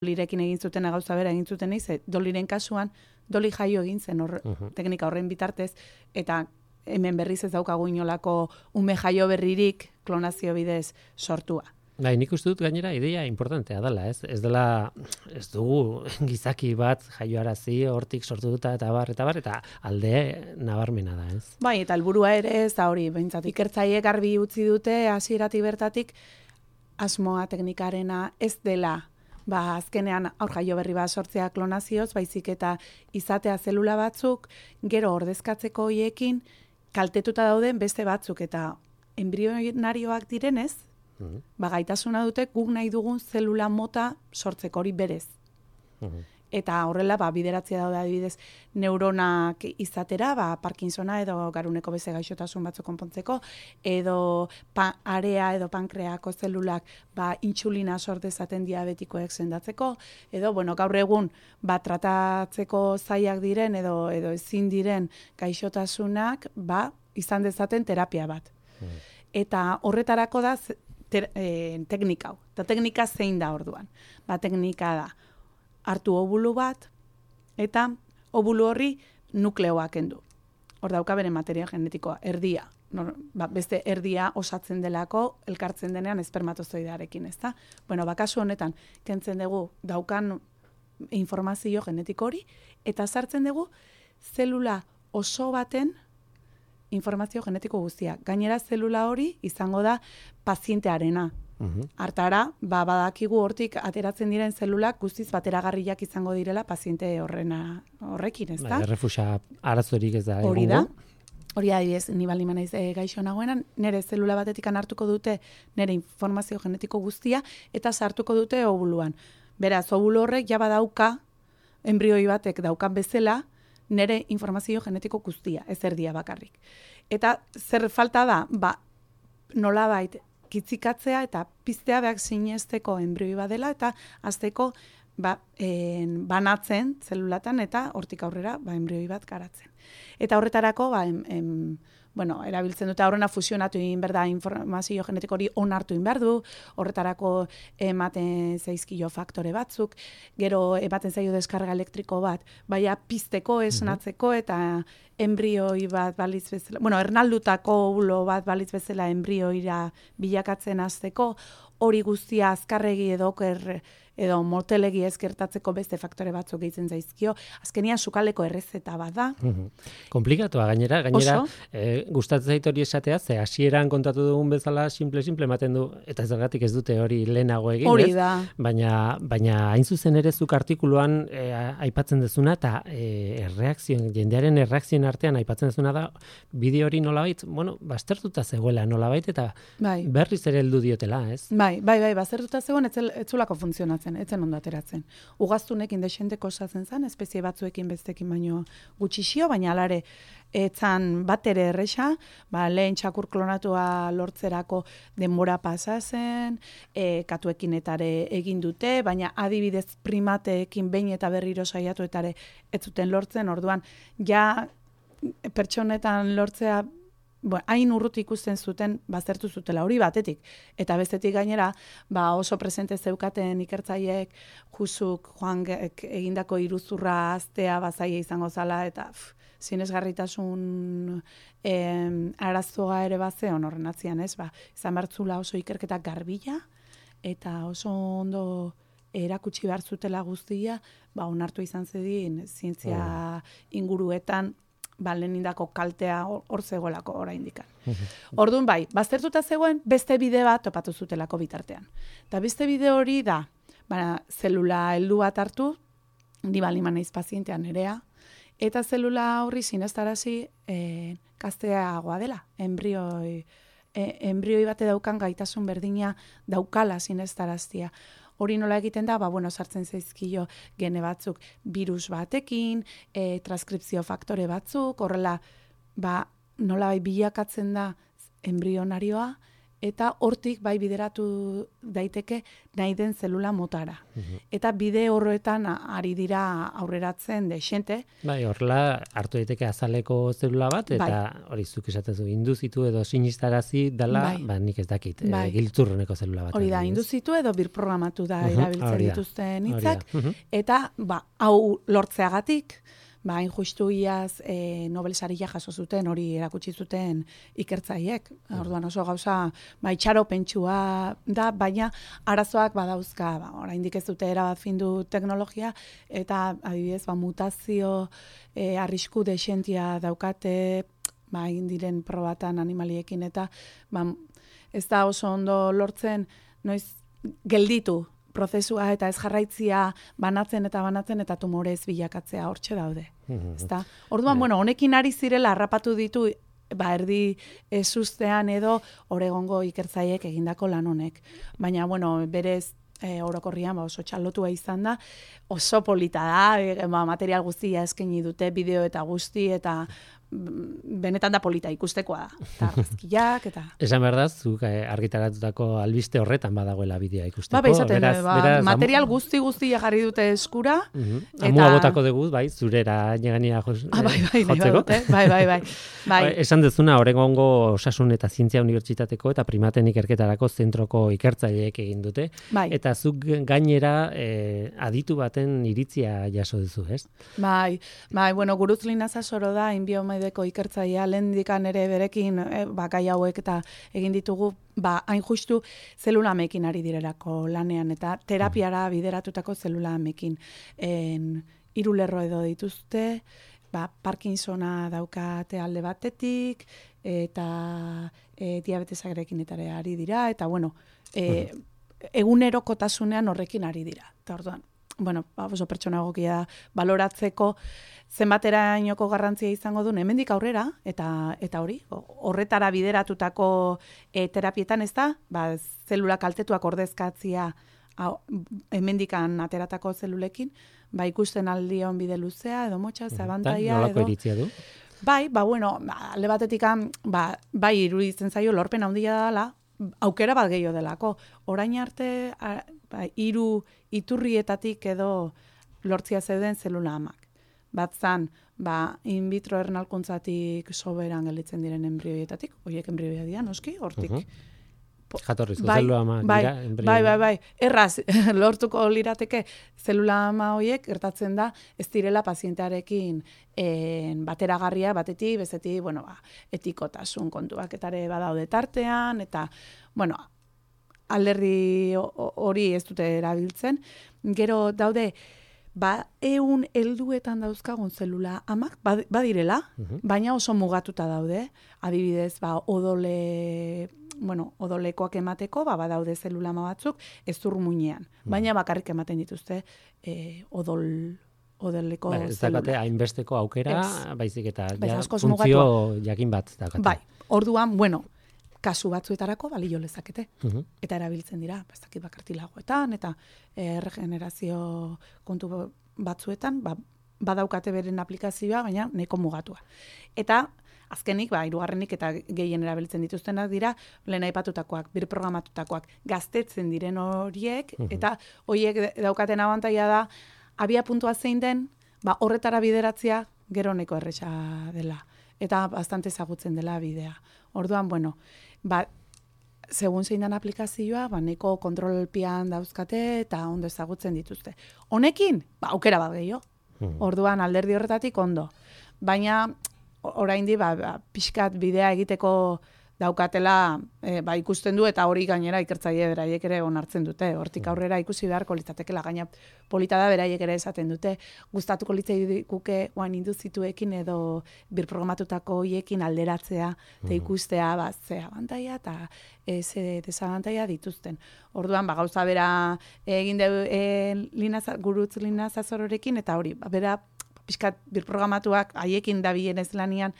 Dolirekin egin zuten gauza bera egin zuten Doliren kasuan, Doli jaio egin zen teknika horren bitartez, eta hemen berriz ez daukagu inolako ume jaio berririk klonazio bidez sortua. Bai, nik uste dut gainera ideia importantea dela, ez? Ez dugu gizaki bat jaioarazi hortik sortu duta eta alde nabarmena da, ez? Bai, eta helburua ere ez da hori, behintzat ikertzaileek garbi utzi dute hasieratik bertatik asmoa teknikarena ez dela azkenean aur jaio berri bat sortzea klonazioz, baizik eta izatea zelula batzuk, gero ordezkatzeko hoiekin kaltetuta dauden beste batzuk, eta embrionarioak direnez, gaitasuna dute guk nahi dugun zelula mota sortzeko hori berez. Eta horrela, bideratzea daude adibidez neuronak izatera, Parkinsona edo garuneko beste gaixotasun batzuk konpontzeko, edo area edo pankreako zelulak intsulina sort dezaten diabetikoek sendatzeko, edo gaur egun tratatzeko zailak diren edo ezin diren gaixotasunak izan dezaten terapia bat. Eta horretarako da teknika hau. Eta teknika zein da orduan? Teknika da hartu obulu bat, eta obulu horri nukleoa kendu. Hor dauka bere materia genetikoa, erdia. Beste erdia osatzen delako, elkartzen denean espermatozoidearekin, ezta? Kasu honetan, kentzen dugu daukan informazio genetiko hori, eta sartzen dugu zelula oso baten informazio genetiko guztia. Gainera zelula hori izango da pazientearena. Hartara, badakigu hortik ateratzen diren zelulak guztiz bateragarriak izango direla paziente horrekin, ezta? Errefusa arazorik ez da. Hori da. Hori adibidez, ni baldin naiz gaixo nagoenan, nire zelula batetikan hartuko dute nire informazio genetiko guztia eta sartuko dute obuluan. Beraz, obulu horrek ja badauka enbrioi batek daukan bezala nire informazio genetiko guztia, ez erdia bakarrik. Eta zer falta da, nolabait kitzikatzea eta piztea behar sinesteko enbrioi badela eta azteko banatzen zelulatan eta hortik aurrera enbrioi bat garatzen. Eta horretarako erabiltzen dute horrena fusionatu egin behar da informazio genetiko hori onartu egin behar du, horretarako ematen zaizkio faktore batzuk, gero ematen zaio deskarga elektriko bat, pizteko, esnatzeko eta enbrioi bat balitz bezala, ernaldutako ovulo bat balitz bezala enbrioira bilakatzen hasteko, hori guztia azkarregi edo motelegi ezkertatzeko beste faktore batzuk gehitzen zaizkio. Azkenian sukaleko errezeta bat da. Komplikatua gainera gustatzen zait hori esatea, ze hasieran kontatu dugun bezala simple ematen du, eta zergatik ez dute hori lehenago egin, hori da. Baina hain zuzen ere zuk artikuluan aipatzen dezuna, eta jendearen erreakzioen artean aipatzen dezuna da, bideo hori nolabait, baztertuta zegoela nolabait, eta berriz ere heldu diotela, ez? Bai, baztertuta zegoen, etzulako funtzionatzen, etzen ondo ateratzen. Ugaztunekin desenteko osatzen zen, espezie batzuekin bestekin baino gutxixio, baina alare etzan bat ere erresa, lehen txakur klonatua lortzerako denbora pasa zen, katuekin etare egin dute, baina adibidez primateekin behin eta berriro saiatu etare ez zuten lortzen, orduan ja pertsonetan lortzea hain urruti ikusten zuten baztertu zutela hori batetik. Eta bestetik gainera, oso presente zeukaten ikertzaileek Joan egindako iruzurra aztea bazaia izango zala, eta sinesgarritasun arazoa ere bazeon horren atzian, ez? Izan bertzula oso ikerketa garbila, eta oso ondo erakutsi behar zutela guztia, onartu izan zedin zientzia inguruetan, lehenindako kaltea hor zegoelako oraindik. Orduan baztertuta zegoen beste bide bat topatu zutelako bitartean. Eta beste bide hori da, zelula heldu bat hartu, ni baldin naiz pazientean nerea, eta zelula horri sinestarazi gazteagoa dela, enbrioi bate daukan gaitasun berdina daukala sinestaraztia. Hori nola egiten da, sartzen zaizkio gene batzuk virus batekin, transkripzio faktore batzuk, horrela, nola bilakatzen da embrionarioa, eta hortik bai bideratu daiteke nahi den zelula motara. Eta bide horretan ari dira aurreratzen dexente. Bai, horrela hartu daiteke azaleko zelula bat, eta hori zuk esatezu, induzitu edo sinistarazi dela, nik ez dakit, giltzurruneko zelula bat. Hori da, induzitu edo birprogramatu da erabiltzen dituzten hitzak, eta hau lortzeagatik, hain justu iaz Nobel saria jaso zuten, hori erakutsi zuten ikertzaiek. Orduan oso gauza itxaropentsua da, baina arazoak badauzka. Oraindik ez dute erabat findu teknologia, eta adibidez mutazio arrisku dexentia daukate, egin diren probatan animaliekin, eta ez da oso ondo lortzen noiz gelditu prozesua eta ez jarraitzia banatzen eta tumorez bilakatzea hortxe daude. Ezta? Orduan, honekin ari zirela harrapatu ditu erdi ezustean edo Oregongo ikertzaiek egindako lan honek. Baina, berez orokorrian oso txalotua izan da, oso polita da, material guztia eskaini dute, bideo eta guzti, eta benetan da polita ikustekoa da. Eta argazkiak, eta... Esan behar da, zuk argitaratutako albiste horretan badagoela bidea ikusteko. Beraz, material guzti jarri dute eskura. Amua botako dugu, zurera negania jotzeko. Bai. Esan dezuna, Oregongo Osasun eta Zientzia Unibertsitateko eta primaten ikerketarako zentroko ikertzaileek egin dute. Eta zuk gainera aditu baten iritzia jaso duzu, ez? Bai, Gurutz Linazasoro da, inbiomedeko ikertzailea, lehendikan ere berekin gai hauek eta egin ditugu, hain justu zelulamekin ari direlako lanean, eta terapiara bideratutako zelulamekin. 3 lerro edo dituzte, Parkinsona daukate alde batetik, eta diabetesarekin eta ari dira, eta egunerokotasunean horrekin ari dira. Eta orduan, oso pertsona egokia baloratzeko zenbaterainoko garrantzia izango duen hemendik aurrera, eta hori, horretara bideratutako terapietan ez da, zelula kaltetuak ordezkatzia hemendikan ateratako zelulekin, ikusten aldion bide luzea, edo motxa, zabantaia, edo... Nolako iritzia du? Alde batetik, iruditzen zaio lorpen handia dela, aukera bat gehiago delako. Orain arte, 3 iturrietatik edo lortzia zeuden zelula amak. Bat zan, in vitro ernalkuntzatik soberan gelditzen diren embrioietatik, horiek embrioia dira, noski, hortik. Jatorrizko zelula ama dira embrioia. Bai. Erraz, lortuko lirateke zelula ama horiek gertatzen da, ez direla pazientearekin bateragarria, batetik, bestetik, etikotasun kontuak etare badaude tartean, eta, alderdi hori ez dute erabiltzen. Gero daude, 100 helduetan dauzkagun zelula amak, badirela, baina oso mugatuta daude. Adibidez, odolekoak emateko, badaude zelula ama batzuk, ez muinean. Baina bakarrik ematen dituzte odoleko zelula. Ez dakate hainbesteko aukera, baizik eta funtzio jakin bat dakate. Bai, orduan, kasu batzuetarako balio lezakete. Eta erabiltzen dira, ez bakartilagoetan, eta regenerazio kontu batzuetan, badaukate beren aplikazioa, baina nahiko mugatua. Eta azkenik, 3. eta gehien erabiltzen dituztenak dira, lehen aipatutakoak, birprogramatutakoak, gaztetzen diren horiek, eta horiek daukaten abantaila da, abia puntua zein den, horretara bideratzea gero neko erresa dela. Eta bastante ezagutzen dela bidea. Orduan, segun zein den aplikazioa, neko kontrolpian dauzkate eta ondo ezagutzen dituzte. Honekin, aukera bat gehiago. Orduan, alderdi horretatik ondo. Baina, oraindi, pixkat bidea egiteko daukatela, ikusten du, eta hori gainera ikertzaile beraiek ere onartzen dute. Hortik aurrera ikusi beharko litzatekela, gaina polita da beraiek ere esaten dute. Gustatuko litzaiguke induzituekin edo birprogramatutako hoiekin alderatzea, eta ikustea, ze abantaila eta ze desabantaila dituzten. Orduan, gauza bera egin Gurutz Linazasororekin, eta hori, bera pixkat birprogramatuak haiekin dabilen ez lanian,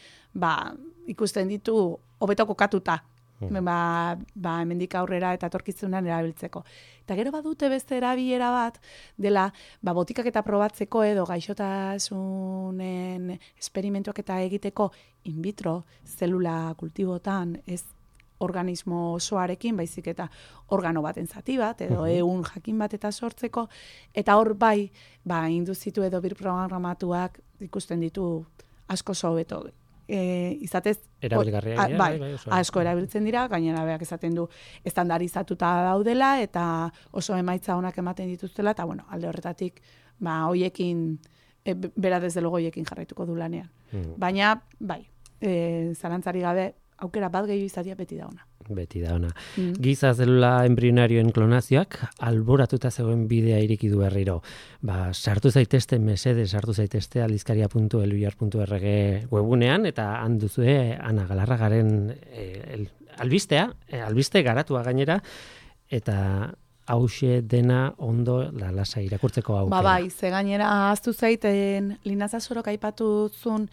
ikusten ditu hobeto kokatuta, hemendik aurrera eta etorkizunean erabiltzeko. Eta gero badute beste erabilera bat, dela, botikak eta probatzeko edo gaixotasunen esperimentuak eta egiteko in vitro zelula kultibotan, ez organismo osoarekin, baizik eta organo baten zati bat, edo ehun jakin bat eta sortzeko, eta hor bai, induzitu edo birprogramatuak ikusten ditu asko hobeto. Izatez, erabilgarria asko erabiltzen dira, gainera beak esaten du estandarizatuta daudela, eta oso emaitza onak ematen dituztela, eta bueno, alde horretatik, hoiekin, bera desde logo hoiekin jarraituko du lanean. Baina, bai, zalantzari gabe, aukera bat gehiago izatea beti da ona. Beti da ona. Giza zelula embrionarioen klonazioak alboratuta zegoen bidea ireki du berriro. Sartu zaitezte sartu zaitezte aldizkaria.eluyar.org webunean, eta han duzue Ana Galarragaren albiste garatua gainera, eta hauxe dena ondo lalasa irakurtzeko aukera. Bai, ze gainera ahaztu zaiten Linaza Sorok aipatu zuen,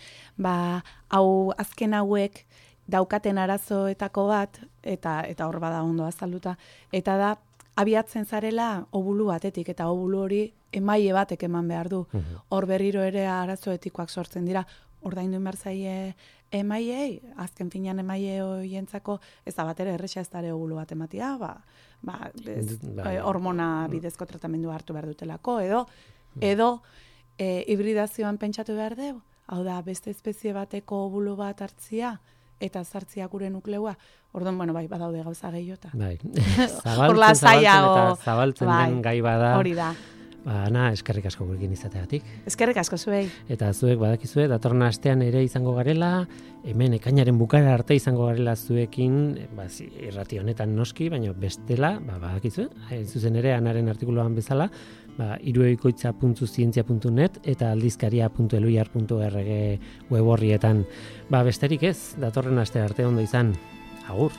hau azken hauek daukaten arazoetako bat, eta hor bada ondo azalduta, eta da, abiatzen zarela obulu batetik, eta obulu hori emaile batek eman behar du. Hor berriro ere arazo etikoak sortzen dira, ordaindu behar zaie emailei, azken finean emaile hoientzako, ez da bat ere erresa ez dare obulu bat ematia, hormona bidezko tratamendu hartu behar dutelako, edo hibridazioan pentsatu behar dugu, hau da, beste espezie bateko obulu bat hartzia, eta zartzia gure nukleua, orduan, bai, badaude gauza gehiota. Bai, zabaltzen den gai bada. Hori da. Ana, eskerrik asko gurekin izateagatik. Eskerrik asko zuei. Eta zuek badakizue, datorren astean ere izango garela, hemen ekainaren bukara arte izango garela zuekin, irrati honetan noski, baina bestela, badakizue, zuzen ere Anaren artikuluan bezala, irueikoitza.zientzia.net eta aldizkaria.eluyar.org web horrietan. Besterik ez, datorren aste arte ondo izan. Agur.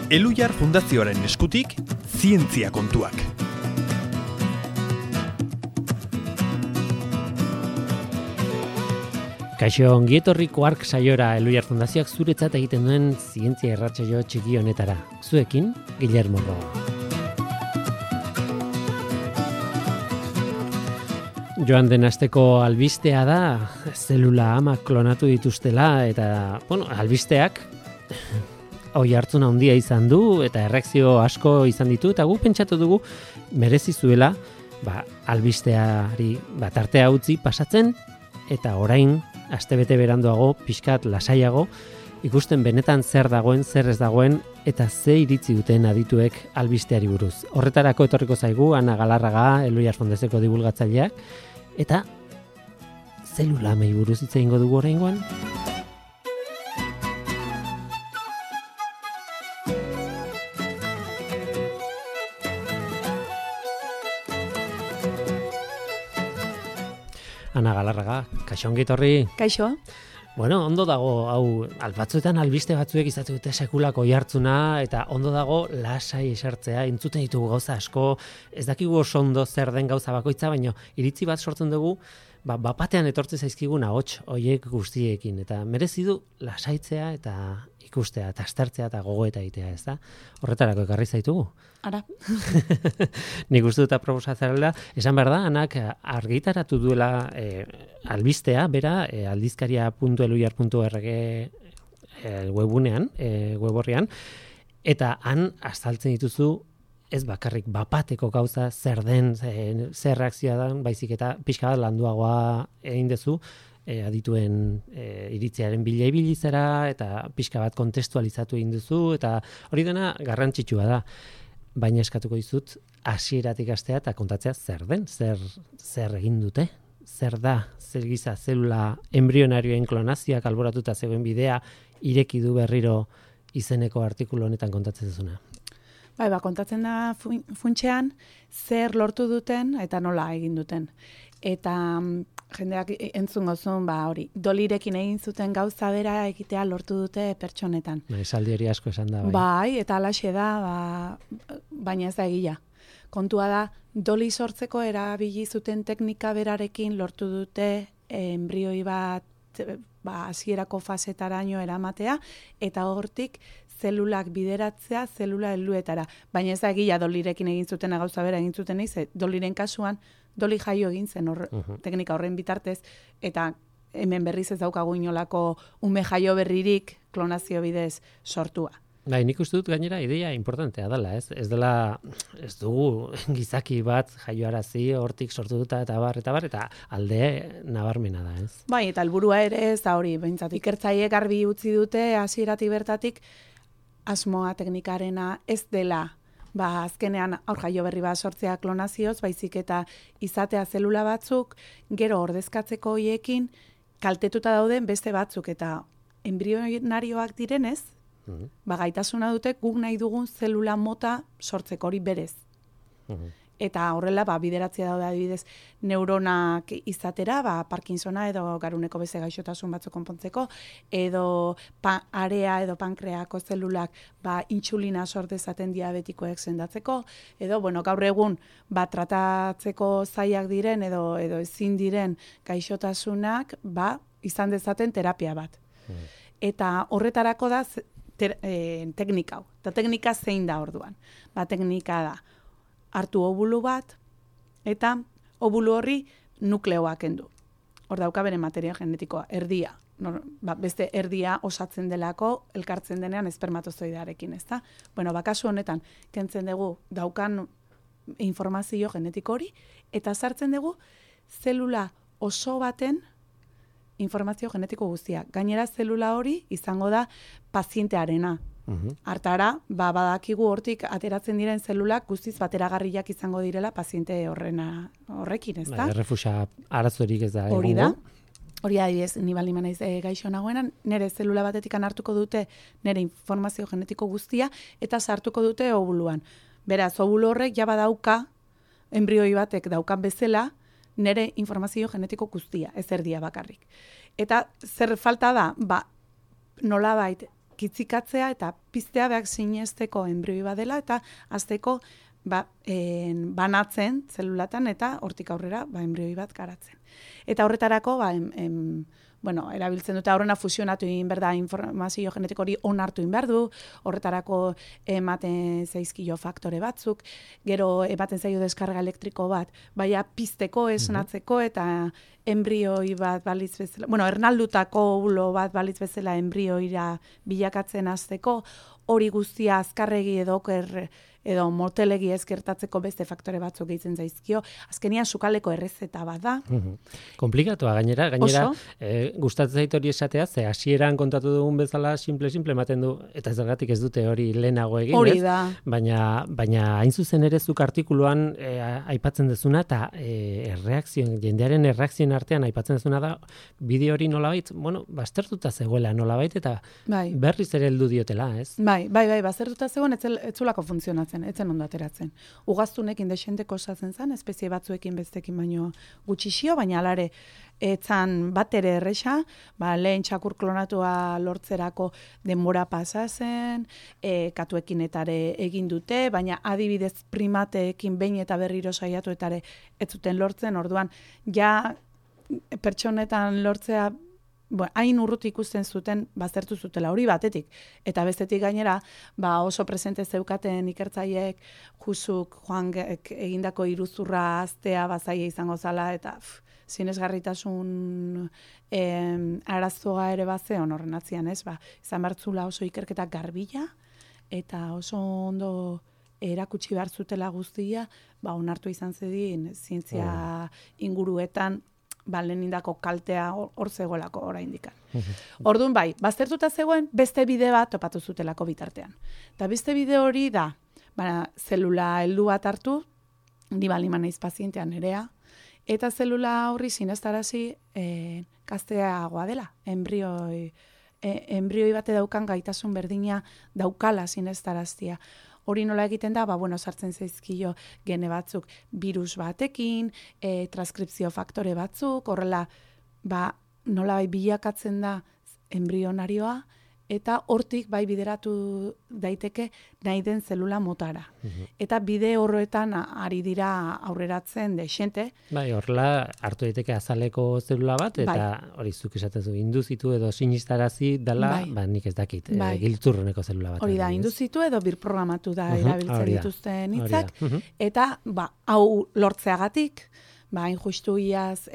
Eluyar Fundazioaren eskutik, zientzia kontuak. Kaixo, ongietorriko ark saiora Eluyar Fundazioak zuretzat egiten duen zientzia irratsaio txiki honetara. Zuekin, Guillermo Roa. Joan den asteko albistea da, zelula ama klonatu dituztela, eta, albisteak hoi hartzuna handia izan du, eta erreakzio asko izan ditu, eta gu pentsatu dugu merezi zuela, albisteari tartea utzi pasatzen, eta orain, astebete beranduago, pixkat lasaiago, ikusten benetan zer dagoen, zer ez dagoen, eta ze iritzi duten adituek albisteari buruz. Horretarako etorriko zaigu, Ana Galarraga, Eluyar Fundazioko dibulgatzaileak, eta zelula amei buruz hitz egingo dugu oraingoan. Ana Galarraga, kaixo ongi etorri. Kaixo. Ondo dago, hau, batzuetan albiste batzuek izaten dute sekulako jartzuna, eta ondo dago lasai esartzea, entzuten ditugu gauza asko, ez dakigu oso ondo zer den gauza bakoitza, baina iritzi bat sortzen dugu, bapatean etortzen zaizkigun ahots hoiek guztiekin, eta merezi du lasaitzea eta ikustea, eta aztertzea eta gogoeta egitea, ez da? Horretarako ekarri zaitugu. Ara. Nik uste dut aproposatzarela, esan behar da, Anak argitaratu duela albistea, bera, aldizkaria.eluyar.org webunean, web horrian, eta han azaltzen dituzu ez bakarrik bapateko gauza zer den, zer reakzioa da, baizik eta pixka bat landuagoa egin dezu, adituen iritziaren bila ibilizera eta pixka bat kontestualizatu egin duzu, eta hori dena garrantzitsua da. Baina eskatuko dizut hasieratik hastea eta kontatzea zer den, zer egin dute, zer da, zer giza zelula embrionarioen klonazioak alboratuta zegoen bidea ireki du berriro izeneko artikulu honetan kontatzen duzuna. Bai, kontatzen da funtsean zer lortu duten eta nola egin duten. Eta jendeak entzun gozun, hori, dolirekin egin zuten gauza bera egitea lortu dute pertsonetan. Esaldi hori asko esan da. Bai, eta alaxe da, baina ez da egia. Kontua da, doli sortzeko erabili zuten teknika berarekin lortu dute embrioi bat hasierako fasetaraino eramatea, eta hortik zelulak bideratzea zelula helduetara. Baina ez da egia dolirekin egin zuten gauza bera egin zuten doliren kasuan, doli jaio egin zen teknika horren bitartez, eta hemen berriz ez daukagu inolako ume jaio berririk klonazio bidez sortua. Bai, nik uste dut gainera ideia importantea dela, ez? Ez dugu gizaki bat jaioarazi hortik sortu duta eta alde nabarmena da, ez? Bai, eta helburua ere ez da hori, behintzat ikertzaileek garbi utzi dute hasieratik bertatik asmoa teknikarena ez dela azkenean aur jaio berri bat sortzea klonazioz, baizik eta izatea zelula batzuk, gero ordezkatzeko hoiekin kaltetuta dauden beste batzuk, eta embrionarioak direnez, gaitasuna dute guk nahi dugun zelula mota sortzeko hori berez. Eta horrela, bideratzea daude adibidez neuronak izatera, Parkinsona edo garuneko beste gaixotasun batzuk konpontzeko, edo area edo pankreako zelulak intsulina sort dezaten diabetikoek sendatzeko, edo gaur egun tratatzeko zailak diren edo ezin diren gaixotasunak izan dezaten terapia bat. Eta horretarako da teknika hau. Eta teknika zein da orduan? Teknika da hartu obulu bat, eta obulu horri nukleoak kendu. Hor dauka bere materia genetikoa, erdia. Beste erdia osatzen delako, elkartzen denean espermatozoidearekin, ezta? Kasu honetan, kentzen dugu daukan informazio genetiko hori, eta sartzen dugu zelula oso baten informazio genetiko guztia. Gainera zelula hori izango da pazientearena. Hartara, badakigu hortik ateratzen diren zelulak guztiz bateragarriak izango direla paziente horrekin, ezta? Errefusa arazorik ez da. Hori da. Hori adibidez, ni baldin naiz gaixo nagoenan, nire zelula batetikan hartuko dute nire informazio genetiko guztia eta sartuko dute obuluan. Beraz, obulu horrek ja badauka embrioi batek daukan bezala nire informazio genetiko guztia, ez erdia bakarrik. Eta zer falta da, nolabait kitzikatzea eta piztea behar sinesteko embrioi badela eta azteko banatzen zelulatan eta hortik aurrera embrioi bat garatzen. Eta horretarako erabiltzen dute horrena fusionatu egin behar da informazio genetiko hori onartu egin behar du, horretarako ematen zaizkio faktore batzuk, gero ematen zaio deskarga elektriko bat, pizteko, esnatzeko eta embrioi bat balitz bezala, ernaldutako ovulo bat balitz bezala embrioira bilakatzen hasteko, hori guztia azkarregi edo motelegi ezkertatzeko beste faktore batzuk gehitzen zaizkio. Azkenian sukaleko errezeta bat da. Komplikatua gainera gustatzen zait hori esatea, ze hasieran kontatu dugun bezala simple ematen du, eta zergatik ez dute hori lehenago egin, hori da. Baina hain zuzen ere zuk artikuluan aipatzen dezuna, eta jendearen erreakzioen artean aipatzen dezuna da, bideo hori nolabait, baztertuta zegoela nolabait, eta berriz ere heldu diotela, ez? Bai, baztertuta zegoen, etzulako funtzionatzen, etzen ondo ateratzen. Ugaztunekin desenteko osatzen zen, espezie batzuekin bestekin baino gutxixio, baina alare etzan bat ere erresa, lehen txakur klonatua lortzerako denbora pasa zen, katuekin etare egin dute, baina adibidez primateekin behin eta berriro saiatu etare ez zuten lortzen, orduan ja pertsonetan lortzea hain urruti ikusten zuten baztertu zutela hori batetik. Eta bestetik gainera, oso presente zeukaten ikertzaileek Joan egindako iruzurra aztea bazaia izango zala, eta sinesgarritasun arazoa ere bazeon horren atzian, ez? Izan bertzula oso ikerketa garbila, eta oso ondo erakutsi behar zutela guztia, onartu izan zedin zientzia inguruetan lehenindako kaltea hor zegoelako oraindik. Orduan bai, baztertuta zegoen beste bide bat topatu zutelako bitartean. Eta beste bide hori da, zelula heldu bat hartu, ni baliman naiz pazientean nerea, eta zelula horri sinestarazi gazteagoa dela, embrioi bate daukan gaitasun berdina daukala sinestaraztia. Hori nola egiten da, sartzen zaizkio gene batzuk virus batekin, transkripzio faktore batzuk, horrela, nola bilakatzen da embrionarioa, eta hortik bideratu daiteke nahi den zelula motara. Eta bide horretan ari dira aurreratzen dexente. Horrela hartu daiteke azaleko zelula bat, eta hori zuk esaten zu, induzitu edo sinistarazi dela, nik ez dakit, giltzurroneko zelula bat. Hori da, induzitu edo birprogramatu da erabiltzen dituzten hitzak, eta hau lortzeagatik, hain justu iaz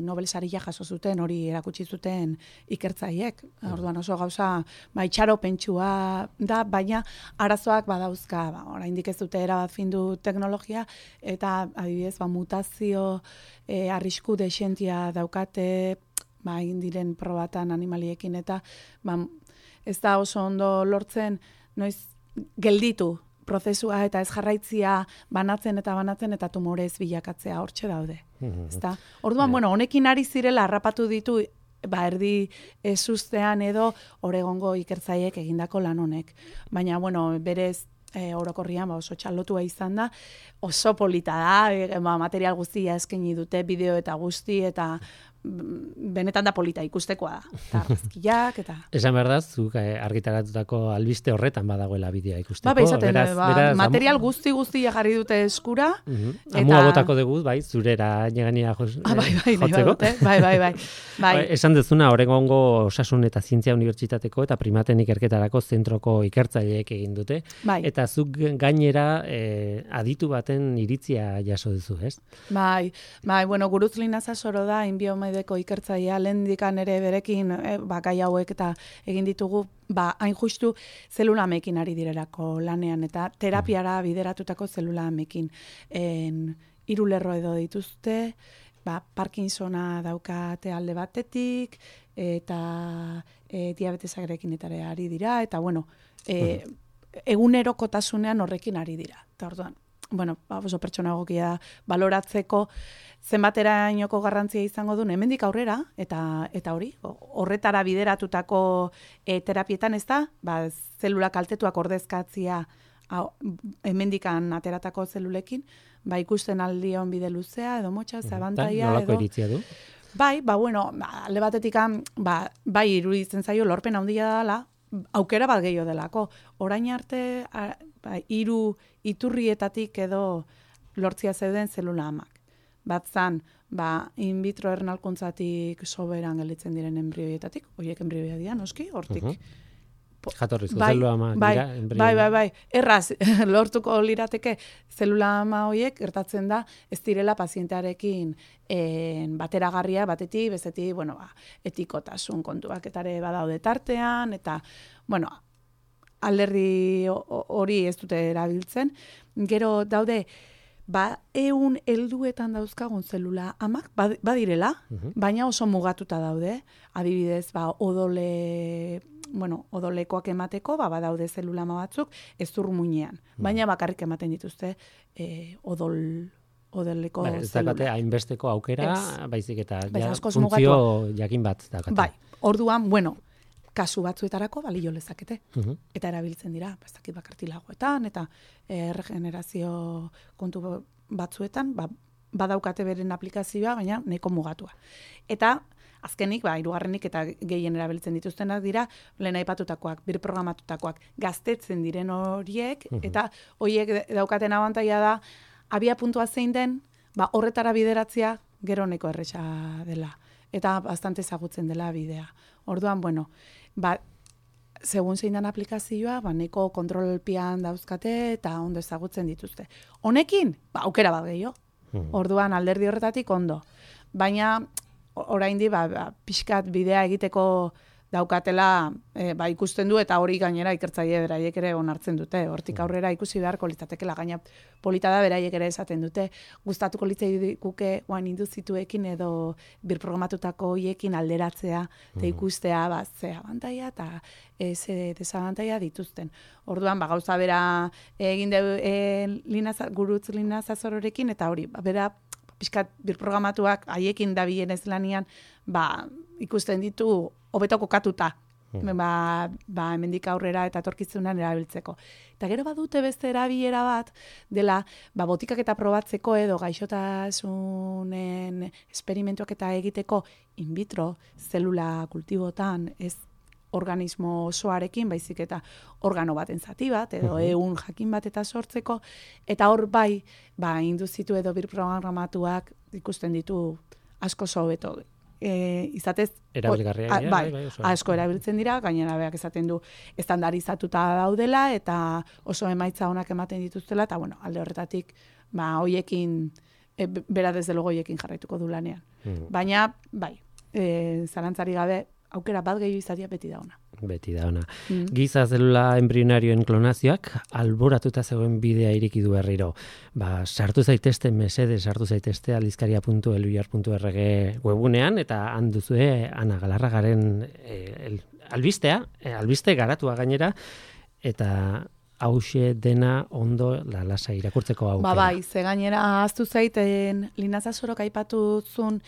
Nobel saria jaso zuten, hori erakutsi zuten ikertzaiek. Orduan oso gauza itxaropentsua da, baina arazoak badauzka. Oraindik ez dute erabat findu teknologia, eta adibidez mutazio arrisku dexentia daukate, egin diren probatan animaliekin, eta ez da oso ondo lortzen noiz gelditu prozesua eta ez jarraitzia banatzen eta tumorez bilakatzea hortxe daude. Orduan, honekin ari zirela harrapatu ditu, erdi ezustean edo Oregongo ikertzaiek egindako lan honek. Baina, berez orokorrian oso txalotua izan da, oso polita da, material guztia eskaini dute, bideo eta guzti, eta benetan da polita ikustekoa da. Eta argazkiak, eta... Esan behar da, zuk argitaratutako albiste horretan badagoela bideoa ikusteko. Beraz, material guzti jarri dute eskura. Amua botako dugu, zurera negania jotzeko. Bai. Esan dezuna, Oregongo Osasun eta Zientzia Unibertsitateko eta primaten ikerketarako zentroko ikertzaileek egin dute. Eta zuk gainera aditu baten iritzia jaso duzu, ez? Bai, Gurutz Linaza Soro da, inbiomedeko ikertzailea, lehendikan ere berekin gai hauek eta egin ditugu, hain justu zelulamekin ari direlako lanean, eta terapiara bideratutako zelulamekin. 3 lerro edo dituzte, Parkinsona daukate alde batetik, eta diabetesarekin eta ari dira, eta egunerokotasunean horrekin ari dira. Eta orduan, oso pertsona egokia baloratzeko zenbaterainoko garrantzia izango duen hemendik aurrera, eta hori, horretara bideratutako terapietan ez da, zelula kaltetuak ordezkatzia hemendikan ateratako zelulekin, ikusten aldion bide luzea, edo motxa, zabantaia, edo... Nolako iritzia du? Alde batetik, iruditzen zaio lorpen handia dela, aukera bat gehiago delako. Orain arte, 3 iturrietatik edo lortzia zeuden zelula amak. Bat zan, in vitro ernalkuntzatik soberan gelditzen diren embrioietatik, horiek embrioia dira, noski, hortik. Jatorrizko zelula ama dira, embrioia. Bai. Erraz, lortuko lirateke zelula ama horiek gertatzen da, ez direla pazientearekin bateragarria, batetik, bestetik, etikotasun kontuak etare badaude tartean, eta, alderdi hori ez dute erabiltzen. Gero daude, 100 helduetan dauzkagun zelula amak, badirela, baina oso mugatuta daude. Adibidez, odolekoak emateko, badaude zelula ama batzuk, ez muinean. Baina bakarrik ematen dituzte odoleko zelula. Ez dakate hainbesteko aukera, baizik eta funtzio jakin bat dakate. Bai, orduan, kasu batzuetarako balio lezakete. Eta erabiltzen dira, ez dakit bakartilagoetan, eta regenerazio kontu batzuetan, badaukate beren aplikazioa, baina nahiko mugatua. Eta azkenik, 3. eta gehien erabiltzen dituztenak dira, lehen aipatutakoak, birprogramatutakoak, gaztetzen diren horiek, eta horiek daukaten abantaila da, abia puntua zein den, horretara bideratzea gero neko erresa dela. Eta bastante ezagutzen dela bidea. Orduan, segun zein den aplikazioa, neko kontrolpian dauzkate eta ondo ezagutzen dituzte. Honekin, aukera bat gehiago. Orduan, alderdi horretatik ondo. Baina, oraindi, pixkat bidea egiteko daukatela ikusten du, eta hori gainera ikertzaile beraiek ere onartzen dute. Hortik aurrera ikusi beharko litzatekela, gaina polita da beraiek ere esaten dute. Gustatuko litzaiguke induzituekin edo birprogramatutako hoiekin alderatzea, eta ikustea ze abantaila eta ze desabantaila dituzten. Orduan, gauza bera egin gurutz Lina Zazororekin, eta hori, bera pixkat birprogramatuak haiekin dabilen ez lanian, ikusten ditu hobeto kokatuta, hemendik aurrera eta etorkizunean erabiltzeko. Eta gero badute beste erabilera bat, dela, botikak eta probatzeko edo gaixotasunen esperimentuak eta egiteko in vitro zelula kultibotan, ez organismo osoarekin, baizik eta organo baten zati bat, edo ehun jakin bat eta sortzeko, eta hor induzitu edo birprogramatuak ikusten ditu asko hobeto. Izatez, asko erabiltzen dira, gainera beak esaten du estandarizatuta daudela, eta oso emaitza onak ematen dituztela, eta alde horretatik, hoiekin, bera desde logo hoiekin jarraituko du lanean. Baina, zalantzari gabe, aukera bat gehiago izatea beti da ona. Beti da ona. Giza zelula embrionarioen klonazioak alboratuta zegoen bidea ireki du berriro. Sartu zaitezte sartu zaitezte aldizkaria.eluyar.org webunean, eta han duzue Ana Galarragaren albiste garatua gainera, eta hauxe dena ondo lalasa irakurtzeko aukera. Ze gainera ahaztu zaiten Lina Zazorok aipatu zuen,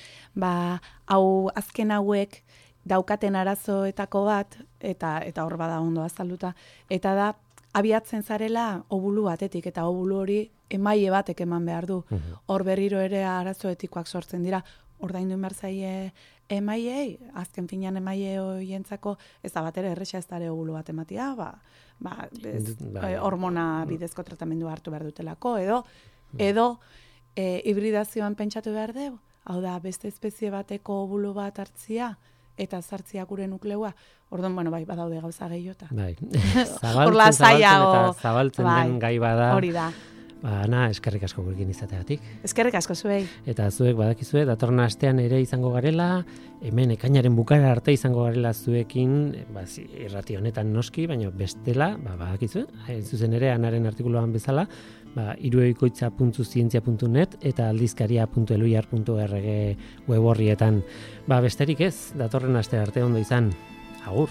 hau azken hauek daukaten arazoetako bat, eta hor bada ondo azalduta, eta da, abiatzen zarela obulu batetik, eta obulu hori emaile batek eman behar du. Hor berriro ere arazoetikoak sortzen dira, ordaindu behar zaie emailei, azken finean emaile horientzako, ez da bat ere erresa ez dare obulu bat ematia, hormona bidezko tratamendu hartu behar dutelako, edo hibridazioan pentsatu behar dugu, hau da, beste espezie bateko obulu bat hartzia, eta zartzia gure nukleua. Orduan, badaude gauza gehiota. Zabaltzen den gai bada. Hori da. Ana, eskerrik asko gurekin izateagatik. Eskerrik asko zuei. Eta zuek badakizue, datorren astean ere izango garela, hemen ekainaren bukara arte izango garela zuekin, irrati honetan noski, baina bestela, badakizue, zuzen ere Anaren artikuluan bezala, irueikoitza.zientzia.net eta aldizkaria.eluyar.org web horrietan. Besterik ez, datorren aste arte ondo izan. Agur!